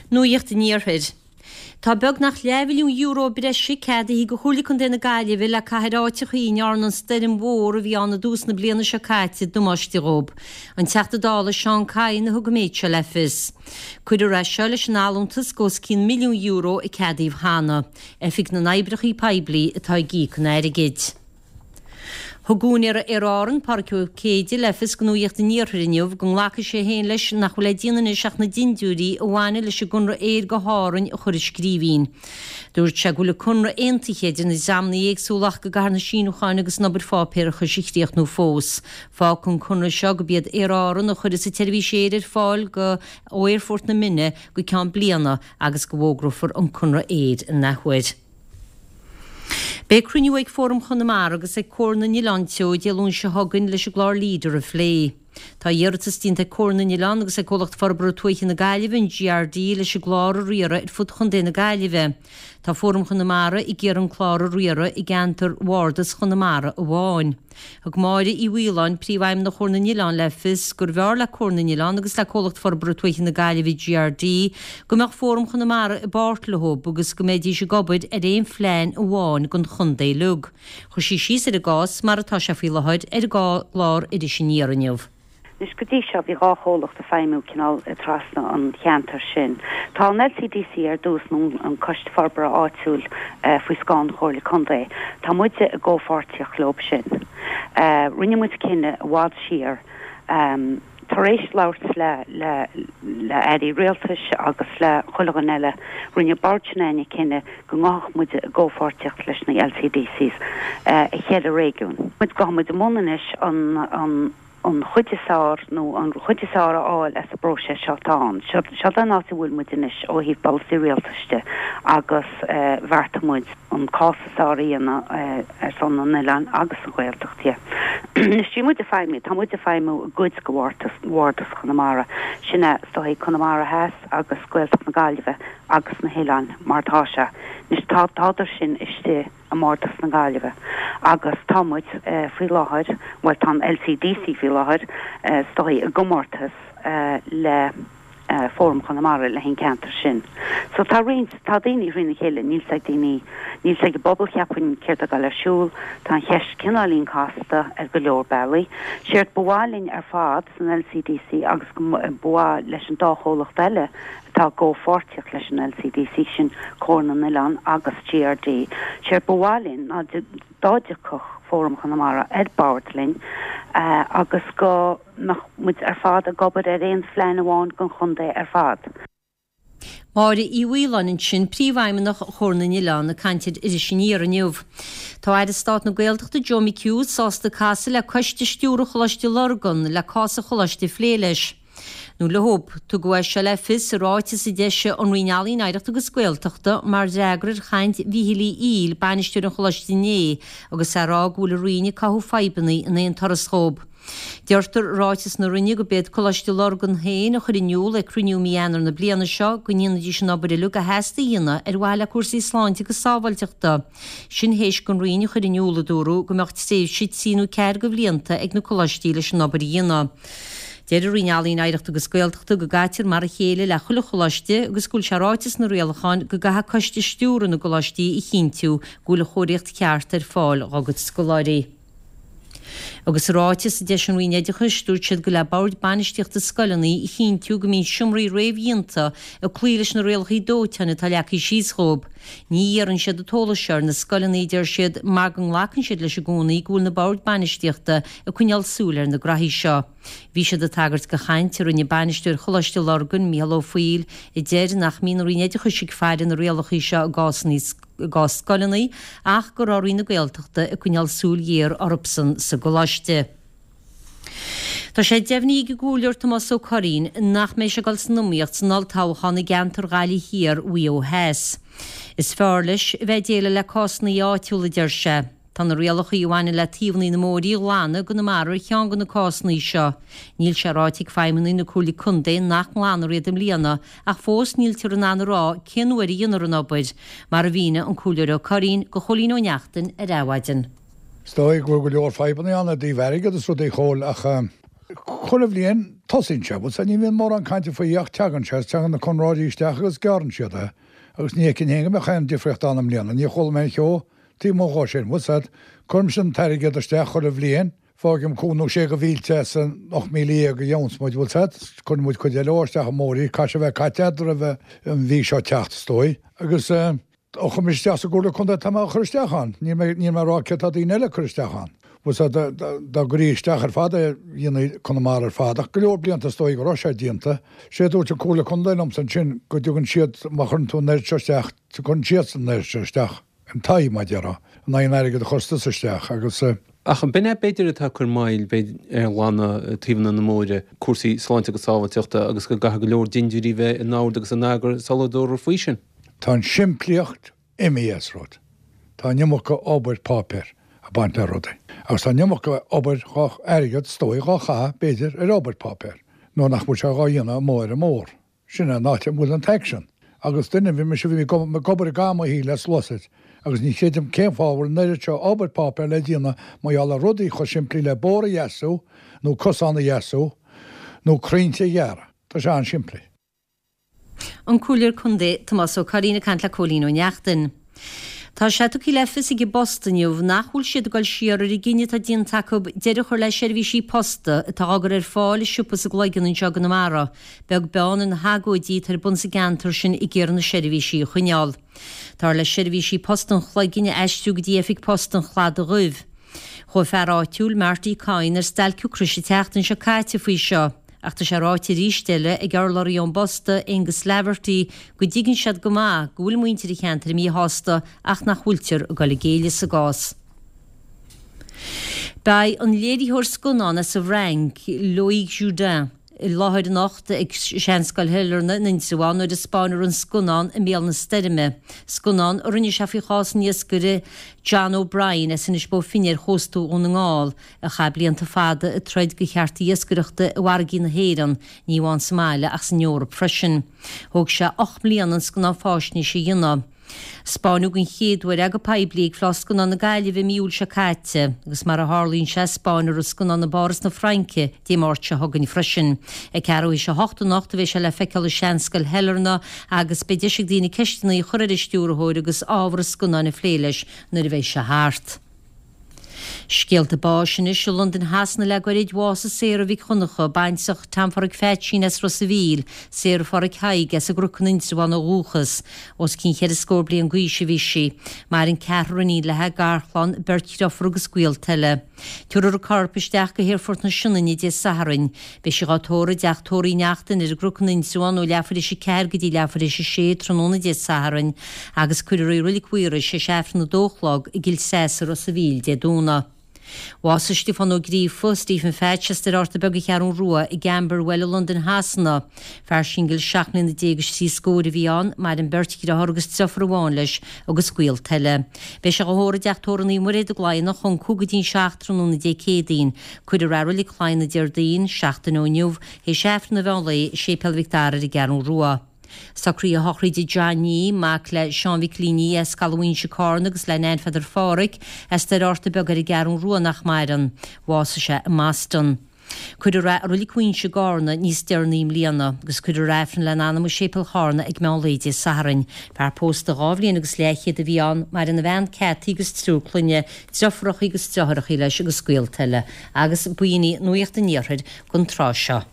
Nuacht an Iarthair. Tá beagnach leathmhilliún euro breise ceadaithe do Chomhairle Contae na Gaillimhe le caitheamh ar áiteachaí a ndearna an stoirm mhór a bhí ann i dtús na bliana seo caite damáiste dhób. An Teachta Dála Seán Kyne a thug an méid seo le fios. Cuirfear é seo leis an allúntas de os cionn €1 milliún a ceadaíodh cheana. Oifig na nOibreacha Poiblí atá ag íoc an airgid. Thug úinéir Aer Árann, Pádraig Ó Céide, le fios do Nuacht an Iarthair inniu go nglacfaidh sé féin leis nach bhfuil le déanamh anois ach na dindiúirí a bhaineann leis an gconradh aeir go hÁrainn a chur i scríbhinn. Dúirt sé go bhfuil an conradh aontaithe idir na dreamanna éagsúla ach go gcaithfear na síniúcháin agus an obair pháipéarachais a chríochnú fós. Fágfaidh an conradh seo gurb iad Aer Árann a chuirfeas an tseirbhís aeir ar fáil go ó Aerfort na Minne go ceann bliana agus go bhfógrófar an conradh aeir in athuair. Beidh cruinniú ag Fóram Chonamara agus ag Comhar na nOileán Teo Dé Luain seo chugainn leis an gclár Leader a phlé. Tá iarratas déanta ag Comhar na nOileán agus ag Comhlacht Forbartha Tuaithe na Gaillimhe, an GRD, leis an gclár a riaradh ar fud Chontae na Gaillimhe. Tá Fóram Chonamara ag iarraidh an clár a riaradh i gceantar Bhardas Chonamara amháin. Thug Máire Uí Mhaoláin, Príomhfheidhmeannach Chomhar na nOileán le fios gurbh fhearr le Comhar na nOileán agus le Comhlacht Forbartha Tuaithe na Gaillimhe, GRD, go mbeadh Fóram Chonamara i bpáirt leo agus go mbeidís ag obair ar aon phlean amháin don chontae uilig. Chuir sí síos ar an gcás mar atá sé faoi láthair ar an gclár Iris Aniar inniu. Anois, go dtí seo, bhí 2 chomhlacht ag feidhmiú cineál trasna an cheantair sin. Tá an LCDC ar dtús, nó an Coiste Forbartha Áitiúil faoi scáth an Chomhairle Contae. Tá muide i gcomhpháirtíocht leob sin. Rinne muid cinneadh i bhfad siar, tar éis labhairt le le le airí rialtais agus le chuile dhuine eile, rinne bord s'againne cinneadh go ngabhfadh muide i gcomhpháirtíocht leis na LCDCs i cheithre réigiún. Gabhfaidh muid i mbun anois an an an chuid is fearr nó an chuid is fearr a fháil as an bpróiseas seo atá ann. Seo é an áit a bhfuil muid anois ó thaobh polasaí rialtais de agus bheartaigh muid an cás is fearr a dhéanamh ar son na n-oileán agus an Ghaeltacht dhe. Anois bhí muid ag feidhmiú, tá muid ag feidhmiú i gcuid de Bhardas Chonamara, sin é is dóigh Conamara Theas agus Gaeltacht na Gaillimhe agus na hoileáin mar atá sé. Anois tá, tádar sin istigh. i mBardas na Gaillimhe agus tá muid faoi láthair, bhuel tá an LCDC faoi láthair is dóigh i gcomórtas le Fóram Chonamara le haghaidh an ceantar sin. So tá roinnt, tá daoine thrína chéile, níl 's ag daoine, níl 's ag an bpobal cheapfainn céard atá ag dul ar siúl, tá an cheist cineáilín casta ar go leor bealaí. Séard ba mhaith linn ar fad san LCDC agus go ba mhaith leis an dá chomhlacht eile atá i gcomhpháirtíocht leis an LCDC, sin Comhar na nOileán agus GRD. Séard ba mhaith linn ná dá dtiocfadh Fóram Chonamara ar bord linn agus go mbeadh muid ar fad ag obair ar aon phlean amháin don chontae ar fad. Máire Uí Mhaoláin ansin, Príomhfheidhmeannach Chomhar na nOileán, ag caint ar Iris Aniar inniu. Tá Aire Stáit na Gaeltachta Joe McHugh sásta casadh le Coiste Stiúrtha Choláiste Lurgan le cás an choláiste a phlé leis. Nó leob. Tugadh é seo le fios i ráiteas a d'eisigh an Roinn Ealaíon, Oidhreachta agus Gaeltachta mar fhreagra ar chaint Mhíchíl Uí Fhoighil, bainisteoir an Choláiste inné, agus é ag rá go bhfuil an Roinn ag cothú fadhbanna in aon turas dhób. Deirtear i ráiteas na Roinne go b'iad Coláiste Lurgan féin a chuir in iúl ag cruinniú mí Eanáir na bliana seo go ndéanfaidís an obair uilig a theastaigh a dhéanamh ar mhaithe le cúrsaí sláinte agus sábháilteachta. Sin théis don Roinn a chur in iúl, a dúradh, go mbeadh tréimhse trí nó ceathair de bhlianta ag na coláistí leis an obair a dhéanamh. Deir an Roinn Ealaíon, Oidhreachta agus Gaeltachta go gcaitear mar a chéile le chuile choláiste agus go bhfuil sé ráite sna rialacháin go gcaithfidh coiste stiúrtha na gcoláistí a chinntiú go bhfuil an chóiríocht cheart ar fáil dhá gcuid scoláirí. Agus i ráiteas a d'eisigh an Roinn Oideachais, dúirt siad gur le boird bainistíochta scoileanna a chinntiú go mbíonn seomraí réamhdhéanta ag cloí leis na rialacha dóiteáin atá leagtha síos dhóibh. Ní iarrann siad an t-eolas seo ar na scoileanna, a deir siad, mar go nglacann siad leis i gcónaí go bhfuil na boird bainistíochta ag coinneáil súil ar na graithí seo. Bhí siad ag tagairt do chaint a rinne bainisteoir Choláiste Lurgan, Mícheál Ó Foighil, a deir nach mbíonn an Roinn Oideachais ag faire na rialacha seo i gcás i gcás scoileanna ach go raibh Roinn na Gaeltachta ag coinneáil súil ghéar orthubsan sa gcoláiste. Tá sé deimhnithe ag an gComhairleoir Tomás Ó Curraoin nach mbeidh sé ag dul san iomaíocht san olltoghchán i gceantar Ghaillimh Thiar, Mhaigh Eo Theas. Is fearr leis a bheith ag déileáil le cásanna áitiúla, a deir sé. Tá na rialacha a bhaineann le taobhanna na mbóithrí a ghlanadh i gConamara ar cheann de na cásanna seo. Níl sé ráite ag feidhmeannaigh na Comhairle Contae nach nglanfar iad i mbliana ach fós níltear in ann a rá cén uair a dhéanfar an obair, mar a mhínigh an Comhairleoir Ó Curraoin do Chóilín Ó Neachtain ar Adhmhaidin. Is dóigh go bhfuil go leor fadhbanna ann i dtaobh airgead is rudaí a Chóil ach. Chuile bhliain tosaíonn sé, bhfuil 's a'd, ní bhíonn mórán cainte faoi ach teagann sé, is teagann na conróirí isteach agus gearrann siad é. Agus ní fheicfinn féin go mbeadh aon difríocht ann i mbliana, níor chuala mé aon cheo taobh amuigh dhó sin, bhfuil 's a'd. Cuirimse an t-airgead isteach chuile bhliain, fágaim cúig nó sé de mhílte as an 18,000 a gheobhanns muid, bhfuil 's a'd, cuireann muid cuid eile isteach i mBóirí, caithfidh sé a bheith caite a'd roimh an mhí seo teacht, is dóigh. Agus eh. Ó chuir mise isteach sa gComhairle Contae tá mé á chur isteach ann. Níl mé, níl mé ag rá céard tá daoine eile ag cur isteach ann. Bhfuil 's a'd, dá, dá gcuirí isteach ar fad é dhéanfaí Conamara ar fad ach go leor blianta is dóigh go raibh sé déanta. Sé a dúirt an Comhairle Contae liomsa ansin go dtugann siad, má chuireann tú an oiread seo isteach, cuireann siadsan an oiread seo isteach, an tithe mar a déarfá, in aghaidh an airgid a chuireas tusa isteach agus. Ach b'in é b'fhéidir atá ag cur moill b'fhéidir ar ghlanadh taobhanna na Móire, cúrsaí sláinte agus sábháilteachta agus go gcaithfidh go leor dindiúirí bheith in ord agus in eagar sula dtabharfar faoi sin. Tá an simplíocht imithe as rud. Tá an iomarca obair páipéir ag baint le rudaí. Agus tá an iomarca obair dhá, airgead is dóigh, dhá chaitheamh, b'fhéidir, ar obair páipéir, nuair nach bhfuil sé dhá dhéanamh amuigh ar an mbóthar. Sin é an áit a bhfuil an t-aicsean. Agus duine, bhí mise, bhí mé ag obair i gcaitheamh mo shaoil le sluasaid, agus ní chreidim cén fáth a bhfuil an oiread seo obair páipéir le déanamh mar gheall ar rudaí chomh simplí le bóthar a dheasú, nó cosán a dheasú, nó crainnte a ghearradh. Tá sé an-simplí. An Comhairleoir Contae Tomás Ó Curraoin ag caint le Cóilín Ó Neachtain. Tá sé tugtha le fios ag an bPost inniu nach bhfuil siad ag dul siar ar an gcinneadh atá déanta acu deireadh a chur le seirbhísí posta atá á gcur ar fáil i siopa sa gCloigeann anseo i gConamara, beag beann ar na hagóidí atá ar bun sa gceantar sin ag iarraidh na seirbhísí a choinneáil. Táthar le seirbhísí post an Chloiginn a aistriú go dtí oifig post an Chladaigh Dhuibh. Chuaigh fear áitiúil, Marty Coyne, ar stailc ocrais an tseachtain seo caite faoi seo. Ach tá sé ráite arís eile ag urlabhraí ón bPost, Aengus Laverty, go dtuigeann siad go maith go bhfuil muintir an cheantair míshásta ach nach bhfuiltear ag dul i gcéille sa gcás. Beidh an léiritheoir scannán as an bhFrainc, Loïc Judin, i láthair anocht ag Seanscoil Shailearna in Indreabhán nuair a 'spáinfear an scannán I mBéal na Stoirme, scannán a rinne sé faoi chás an iascaire John O'Brien as Inis Bó Finne ar chósta Dhún na nGall. a chaith blianta fada ag troid do chearta iascaireachta i bhfarraigí na hÉireann, ní amháin sa mbaile ach san Eoraip freisin. Thóg sé 8 mbliana an scannán fáisnéise a dhéanamh. 'Spáineadh den chéad uair é go poiblí ag Fleá Scannán na Gaillimhe i mí Iúil seo caite, agus mar a tharlaíonn sé, 'spáinfear an scannán i bPáras na Fraince Dé Máirt seo chugainn freisin. Ag ceathrú théis a hocht anocht a bheidh sé le feiceáil i Seanscoil Shailearna agus beidh deis ag daoine ceisteanna a chur ar an stiúrthóir agus ábhar an scannáin a phlé leis nuair a bheidh sé thart. Scéalta báis anois i Londain Shasana le goirid, Bhásaigh Sarah Mhic Dhonncha, baintreach Tom Pháraic Pheaitsín as Ros a' Mhíl, Sarah Pháraic Thaidhg as an gCnoc in Indreabhán ó dhúchas. Os cionn cheithre scór bliain d'aois a bhí sí. Maireann ceathrar iníon léi, garchlann, beirt dhriofúr agus gaolta eile. Tabharfar a corp isteach go hAerfort na Sionainne Dé Sathairn. Beidh sí dhá tórramh i dteach tórraimh Uí Neachtain ar an gCnoc in Indreabhán ó leathuair théis 4 go dtí leathuair théis 6 tráthnóna Dé Sathairn agus cuirfear í i Reilig Mhaorais théis Aifreann a dó a chlog i gCill Treasa i Ros a' Mhíl Dé Domhnaigh. Bhásaigh Stiofán Ó Gríofa, Stephen Phatch, as Doire Fhatharta Beag an Cheathrún Rua i gCamberwell i Londain Shasana. Fear singil seacht mbliana déag is trí scóir a bhí ann, maireann beirt dhriotháir agus driofúr amháin leis agus gaolta eile. Beidh sé dhá thórramh i dteach tórraimh Naomh Muire i gCloigheannach ón 5 go dtí an 7 tráthnóna Dé Céadaoin. Cuirfear é i Reilig Chloigheanna Déardaoin, seachtain ó inniu, théis Aifreann an mheán lae i Séipéal Mhic Dara ar an gCeathrú Rua. Socruithe a shochraide Johnny, mac le Seán Mhicilín as Caladh Mhaínse Cárna agus le Nan Pheadair Pháraic as Doire Fhatharta Beag ar an gCeathrú Rua nach maireann. Bhásaigh sé i mBoston. Cuirfear é i Reilig Mhaínse i gCárna níos deireanaí i mbliana, agus cuirfear Aifreann lena anam i Séipéal Chárna ag meán lae Dé Sathairn. Fear pósta dhá bhliain agus leathchéad a bhí ann, maireann a bhean Cathy agus triúr clainne, driofúracha agus driotháireacha leis agus gaolta eile. Agus b'in í Nuacht an Iarthair don tráth seo.